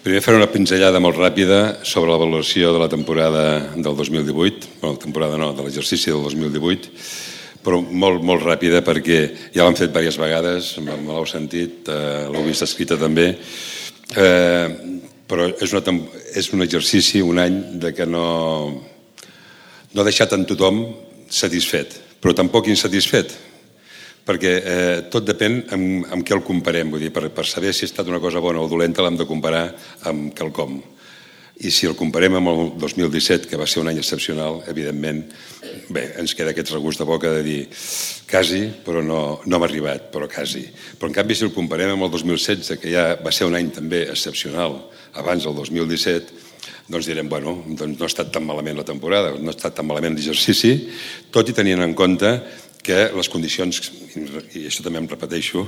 Primer faré una pinzellada molt ràpida sobre la valoració de la temporada del 2018, bueno, temporada no, de l'exercici del 2018, però molt ràpida perquè ja l'han fet diverses vegades, me l'heu sentit, l'heu vist escrita també, però és un exercici, un any de que no ha deixat en tothom satisfet, però tampoc insatisfet, perquè tot depèn amb què el comparem, vull dir, per saber si ha estat una cosa bona o dolenta l'hem de comparar amb quelcom. I si el comparem amb el 2017, que va ser un any excepcional, evidentment, bé, ens queda aquest regust de boca de dir quasi, però no hem arribat, però quasi. Però en canvi, si el comparem amb el 2016, que ja va ser un any també excepcional, abans del 2017, doncs direm, bueno, doncs no ha estat tan malament la temporada, no ha estat tan malament l'exercici, tot i tenint en compte que les condicions, i això també em repeteixo,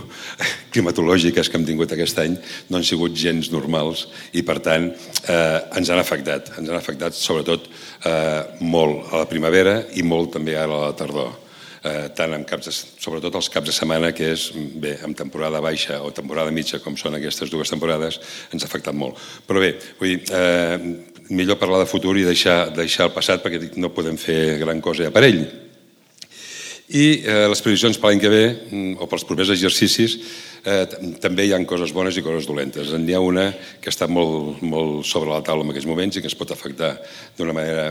climatològiques que hem tingut aquest any no han sigut gens normals i, per tant, ens han afectat sobretot molt a la primavera i molt també ara a la tardor. Tant sobretot els caps de setmana, que és, bé, en temporada baixa o temporada mitja, com són aquestes dues temporades, ens ha afectat molt. Però bé, vull dir, millor parlar de futur i deixar el passat, perquè no podem fer gran cosa ja per ell. I les previsions per l'any que ve, o pels propers exercicis, també hi ha coses bones i coses dolentes. N'hi ha una que està molt sobre la taula en aquests moments i que ens pot afectar d'una manera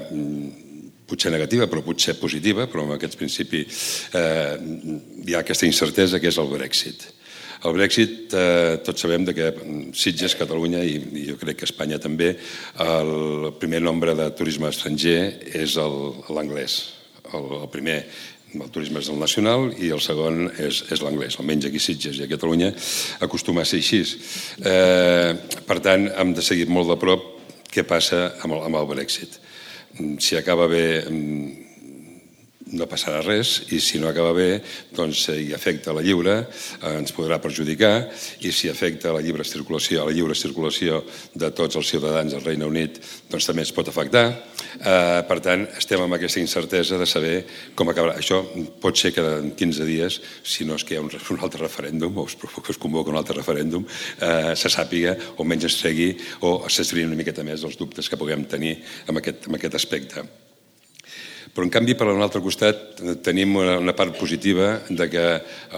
potser negativa, però potser positiva, però en aquest principi hi ha aquesta incertesa que és el Brexit. El Brexit, tots sabem que Sitges, Catalunya i jo crec que Espanya també, el primer nombre de turisme estranger és l'anglès. El primer, el turisme és el nacional i el segon és l'anglès, almenys aquí a Sitges i a Catalunya acostuma a ser així. Per tant, hem de seguir molt de prop què passa amb el Brexit. Si acaba bé no passarà res i si no acaba bé, doncs si afecta la lliure ens podrà perjudicar i si afecta la lliure circulació de tots els ciutadans del Regne Unit, doncs també ens pot afectar. Per tant, estem amb aquesta incertesa de saber com acabarà. Això pot ser que en 15 dies, si no és que hi ha un altre referèndum o es convoca un altre referèndum, se sàpiga o menys es tregui o s'esbrini una miqueta més els dubtes que puguem tenir en aquest aspecte. Però, en canvi, per un altre costat, tenim una part positiva de que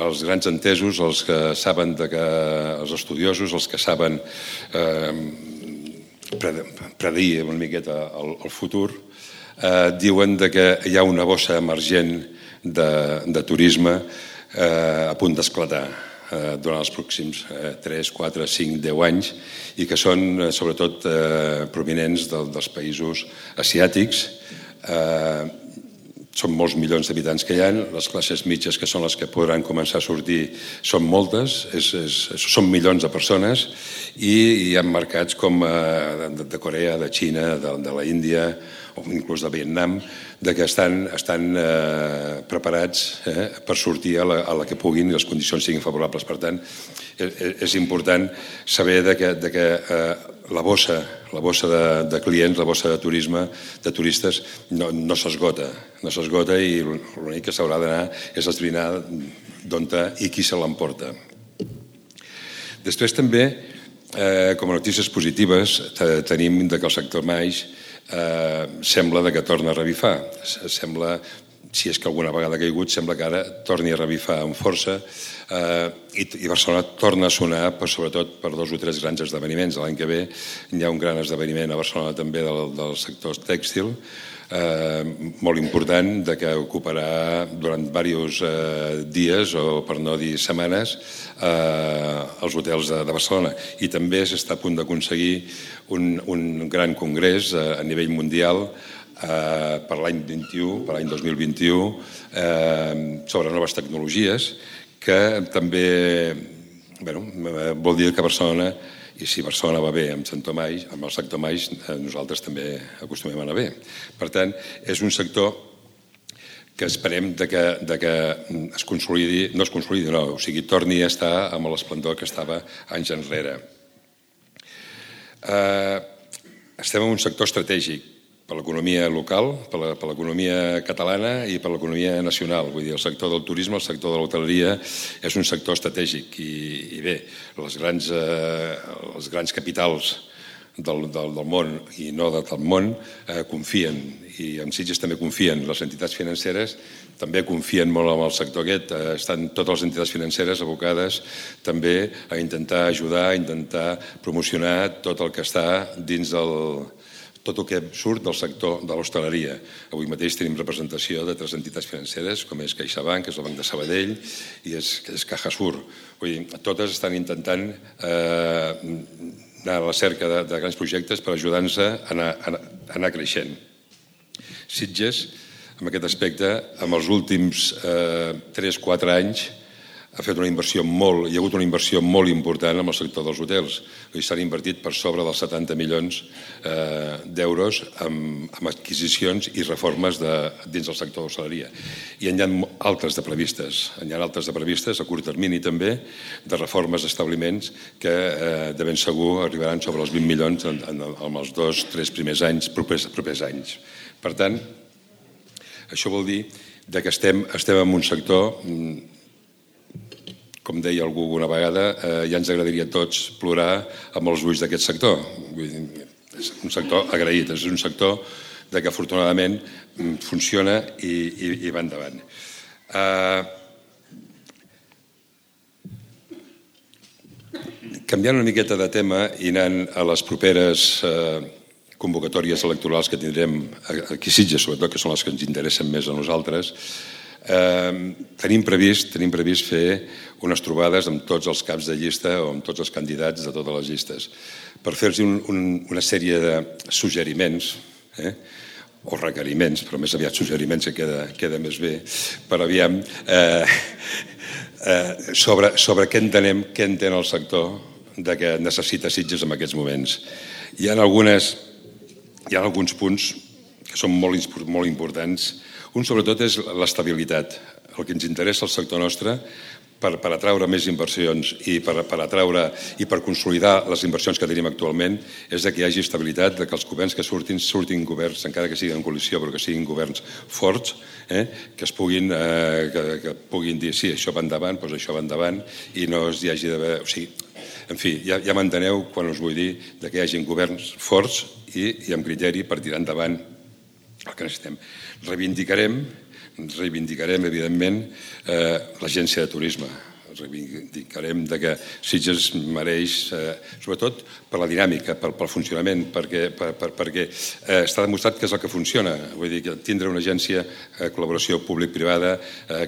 els grans entesos, els que saben, els estudiosos, els que saben predir una miqueta el futur, diuen que hi ha una bossa emergent de turisme a punt d'esclatar durant els pròxims 3, 4, 5, 10 anys i que són, sobretot, provinents dels països asiàtics. Són molts milions d'habitants que hi ha, les classes mitges, que són les que podran començar a sortir, són moltes, són milions de persones i hi ha mercats com de Corea, de Xina, de la Índia o inclús de Vietnam, que estan preparats per sortir a la que puguin i les condicions siguin favorables. Per tant, és important saber que la bossa de clients, la bossa de turisme, de turistes, no s'esgota i l'únic que s'haurà d'anar és esbrinar d'on i qui se l'emporta. Després també, com a notícies positives, tenim que el sector MAIX sembla que torna a revifar. Sembla, si és que alguna vegada ha caigut, sembla que ara torni a revifar amb força i Barcelona torna a sonar sobretot per 2 o 3 grans esdeveniments. L'any que ve hi ha un gran esdeveniment a Barcelona també del sector tèxtil molt important que ocuparà durant diversos dies o per no dir setmanes els hotels de Barcelona i també s'està a punt d'aconseguir un gran congrés a nivell mundial per l'any 2021 sobre noves tecnologies que també vol dir que Barcelona, i si Barcelona va bé amb el sector MAIX, nosaltres també acostumem a anar bé. Per tant, és un sector que esperem que es consolidi, no es consolidi, no, o sigui, torni a estar amb l'esplendor que estava anys enrere. Estem en un sector estratègic per l'economia local, per l'economia catalana i per l'economia nacional. Vull dir, el sector del turisme, el sector de l'hoteleria és un sector estratègic i bé, els grans capitals del món i no de tot el món confien, i en Sitges també confien. Les entitats financeres també confien molt en el sector aquest. Estan totes les entitats financeres abocades també a intentar ajudar, a intentar promocionar tot el que està dins tot el que surt del sector de l'hostaleria. Avui mateix tenim representació de 3 entitats financeres, com és CaixaBank, que és el Banc de Sabadell, i és Cajasur. Vull dir, totes estan intentant anar a la cerca de grans projectes per ajudar-nos a anar creixent. Sitges, en aquest aspecte, en els últims 3-4 anys, ha fet una inversió hi ha hagut una inversió molt important en el sector dels hotels. S'han invertit per sobre dels 70 milions d'euros en adquisicions i reformes dins del sector de l'hostaleria. I n'hi ha altres de previstes. N'hi ha altres de previstes, a curt termini també, de reformes d'establiments que de ben segur arribaran sobre els 20 milions en els 2-3 primers anys, propers anys. Per tant, això vol dir que estem en un sector, com deia algú alguna vegada, ja ens agradaria a tots plorar amb els ulls d'aquest sector. És un sector agraït, és un sector que afortunadament funciona i va endavant. Canviant una miqueta de tema i anant a les properes convocatòries electorals que tindrem aquí a Sitges, sobretot, que són les que ens interessen més a nosaltres, tenim previst fer unes trobades amb tots els caps de llista o amb tots els candidats de totes les llistes per fer-los una sèrie de suggeriments o requeriments, però més aviat suggeriments, que queda més bé, per aviam sobre què entenem, què entén el sector que necessita Sitges en aquests moments. Hi ha alguns punts que són molt importants. Un, sobretot, és l'estabilitat. El que ens interessa al sector nostre per atraure més inversions i per atraure i per consolidar les inversions que tenim actualment és que hi hagi estabilitat, que els governs que surtin governs, encara que siguin en coalició, però que siguin governs forts, que puguin dir sí, això va endavant, doncs això va endavant, i no hi hagi d'haver... O sigui, en fi, ja m'enteneu quan us vull dir que hi hagi governs forts i amb criteri per tirar endavant el que necessitem. Reivindicarem, evidentment, l'agència de turisme. Reivindicarem que Sitges mereix, sobretot per la dinàmica, pel funcionament, perquè està demostrat que és el que funciona. Vull dir, que tindre una agència de col·laboració públic-privada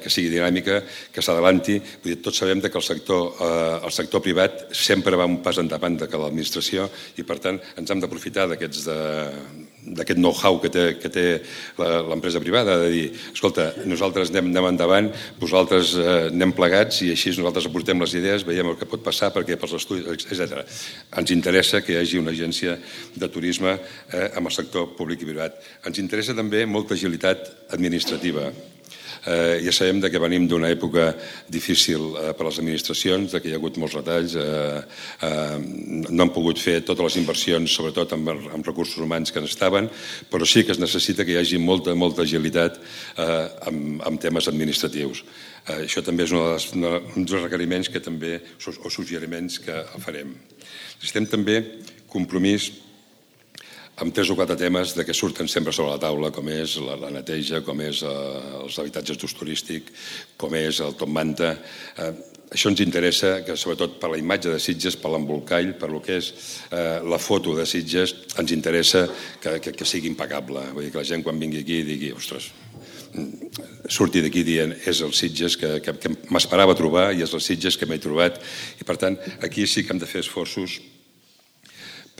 que sigui dinàmica, que s'adavanti. Tots sabem que el sector privat sempre va un pas endavant que l'administració i, per tant, ens hem d'aprofitar d'aquest know-how que té l'empresa privada, de dir, escolta, nosaltres anem endavant, vosaltres anem plegats i així nosaltres aportem les idees, veiem el que pot passar, perquè pels estudis, etc. Ens interessa que hi hagi una agència de turisme amb el sector públic i privat. Ens interessa també molta agilitat administrativa. Ja sabem que venim d'una època difícil per a les administracions, que hi ha hagut molts retalls, no han pogut fer totes les inversions, sobretot amb recursos humans que estaven, però sí que es necessita que hi hagi molta agilitat en temes administratius. Això també és un dels requeriments o suggeriments que farem. Necessitem també compromís amb 3 o 4 temes que surten sempre sobre la taula, com és la neteja, com és els habitatges d'ús turístic, com és el top manta. Això ens interessa, que sobretot per la imatge de Sitges, per l'embolcall, per el que és la foto de Sitges, ens interessa que sigui impecable. Vull dir, que la gent quan vingui aquí digui, ostres, surti d'aquí dient és el Sitges que m'esperava trobar i és el Sitges que m'he trobat. I per tant, aquí sí que hem de fer esforços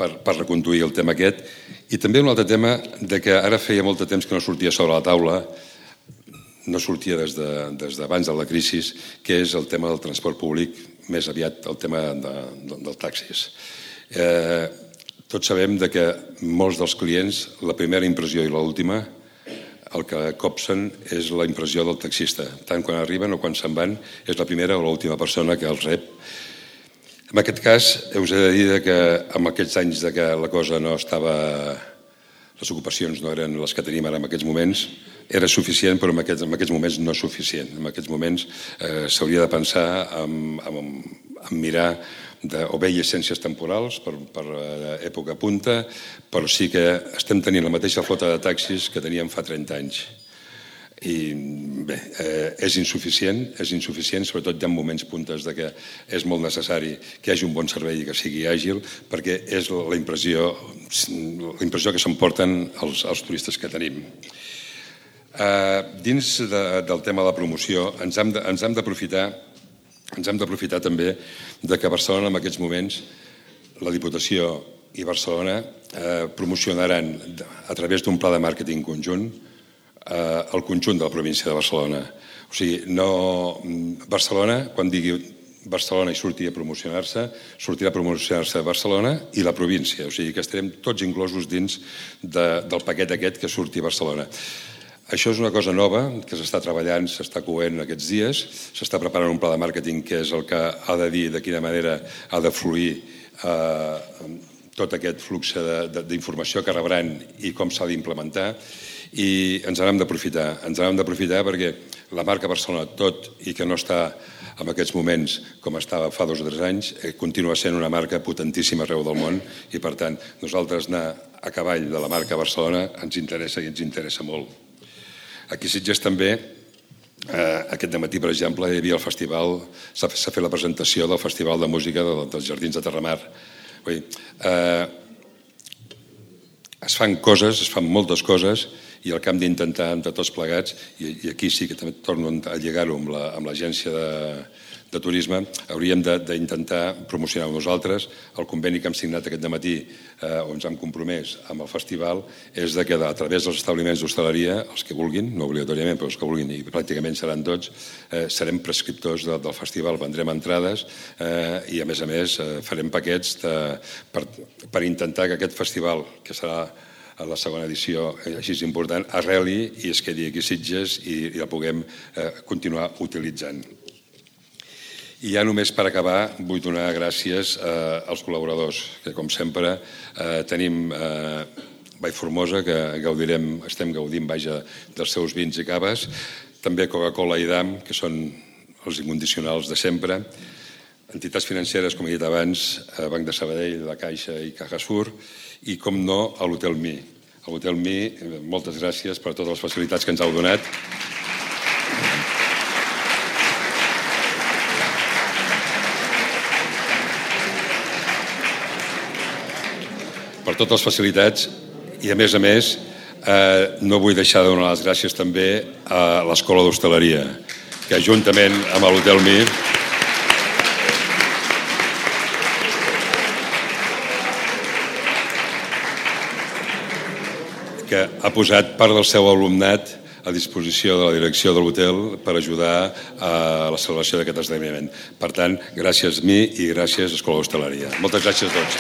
per reconduir el tema aquest. I també un altre tema que ara feia molt de temps que no sortia sobre la taula, no sortia des d'abans de la crisi, que és el tema del transport públic, més aviat el tema dels taxis. Tots sabem que molts dels clients, la primera impressió i l'última, el que copsen és la impressió del taxista. Tant quan arriben o quan se'n van, és la primera o l'última persona que els rep. En aquest cas, us he de dir que en aquests anys que la cosa no estava... les ocupacions no eren les que tenim ara en aquests moments, era suficient, però en aquests moments no és suficient. En aquests moments s'hauria de pensar en mirar o bé llicències temporals per època punta, però sí que estem tenint la mateixa flota de taxis que teníem fa 30 anys. I bé, és insuficient, sobretot hi ha moments puntes de que és molt necessari que hi hagi un bon servei i que sigui àgil, perquè és la impressió que s'emporten els turistes que tenim. Dins del tema de la promoció ens hem d'aprofitar també que a Barcelona en aquests moments la Diputació i Barcelona promocionaran a través d'un pla de màrqueting conjunt el conjunt de la província de Barcelona. O sigui, Barcelona, quan digui Barcelona i surti a promocionar-se, sortirà a promocionar-se Barcelona i la província. O sigui que estarem tots inclosos dins del paquet aquest que surti a Barcelona. Això és una cosa nova que s'està treballant, s'està coent aquests dies, s'està preparant un pla de màrqueting que és el que ha de dir de quina manera ha de fluir tot aquest flux d'informació que rebran i com s'ha d'implementar, i ens n'hem d'aprofitar perquè la marca Barcelona, tot i que no està en aquests moments com estava fa 2 o 3 anys, continua sent una marca potentíssima arreu del món i per tant nosaltres anar a cavall de la marca Barcelona ens interessa i ens interessa molt. Aquí a Sitges també, aquest dematí, per exemple, hi havia el festival, s'ha fet la presentació del Festival de Música dels Jardins de Terramar. Es fan coses, es fan moltes coses, i el que hem d'intentar entre tots plegats, i aquí sí que també torno a lligar-ho amb l'agència de turisme, hauríem d'intentar promocionar-ho nosaltres. El conveni que hem signat aquest dematí, on ens hem compromès amb el festival, és que a través dels establiments d'hostaleria, els que vulguin, no obligatòriament, però els que vulguin, i pràcticament seran tots, serem prescriptors del festival, vendrem entrades i a més farem paquets per intentar que aquest festival, que serà a la segona edició així important, arreli i es quedi aquí a Sitges i la puguem continuar utilitzant. I ja només per acabar vull donar gràcies als col·laboradors, que com sempre tenim Vallformosa, que estem gaudint dels seus vins i caves, també Coca-Cola i Damm, que són els incondicionals de sempre, entitats financeres, com he dit abans, Banc de Sabadell, La Caixa i Cajasur, i, com no, a l'Hotel Mi. A l'Hotel Mi, moltes gràcies per totes les facilitats que ens heu donat. Per totes les facilitats i, a més, no vull deixar de donar les gràcies també a l'Escola d'Hostaleria, que juntament amb l'Hotel Mi que ha posat part del seu alumnat a disposició de la direcció de l'hotel per ajudar a la celebració d'aquest esdeveniment. Per tant, gràcies Mi i gràcies Escola d'Hostaleria. Moltes gràcies a tots.